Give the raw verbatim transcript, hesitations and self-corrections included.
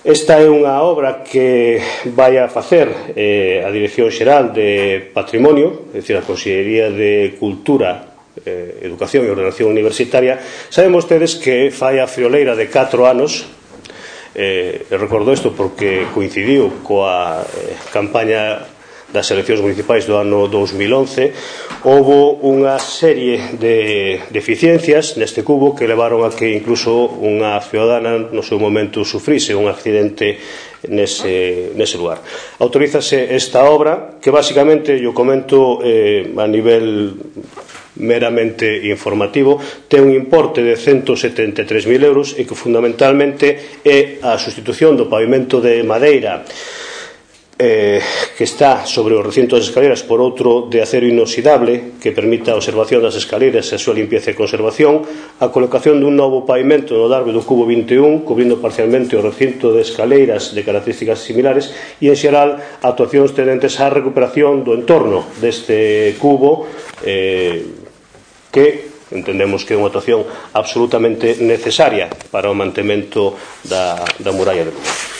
Esta é unha obra que vai a facer eh, a Dirección Xeral de Patrimonio, é dicir, a Consellería de Cultura, eh, Educación e Ordenación Universitaria. Saben vostedes que fai a frioleira de catro anos, eh, recordo isto porque coincidiu coa eh, campaña das eleccións municipais do ano dous mil once. Houbo unha serie de deficiencias neste cubo que levaron a que incluso unha ciudadana no seu momento sufrise un accidente nese, nese lugar. Autorízase esta obra que basicamente, yo comento eh, a nivel meramente informativo, ten un importe de ciento setenta e tres mil euros e que fundamentalmente é a sustitución do pavimento de madeira Eh, que está sobre o recinto das escaleras por outro de acero inoxidable que permita a observación das escaleras e a súa limpieza e conservación, a colocación dun novo pavimento no largo do cubo vinte e un cubrindo parcialmente o recinto de escaleiras de características similares e, en xeral, actuacións tendentes á recuperación do entorno deste cubo eh, que entendemos que é unha actuación absolutamente necesaria para o mantemento da, da muralla de Lugo.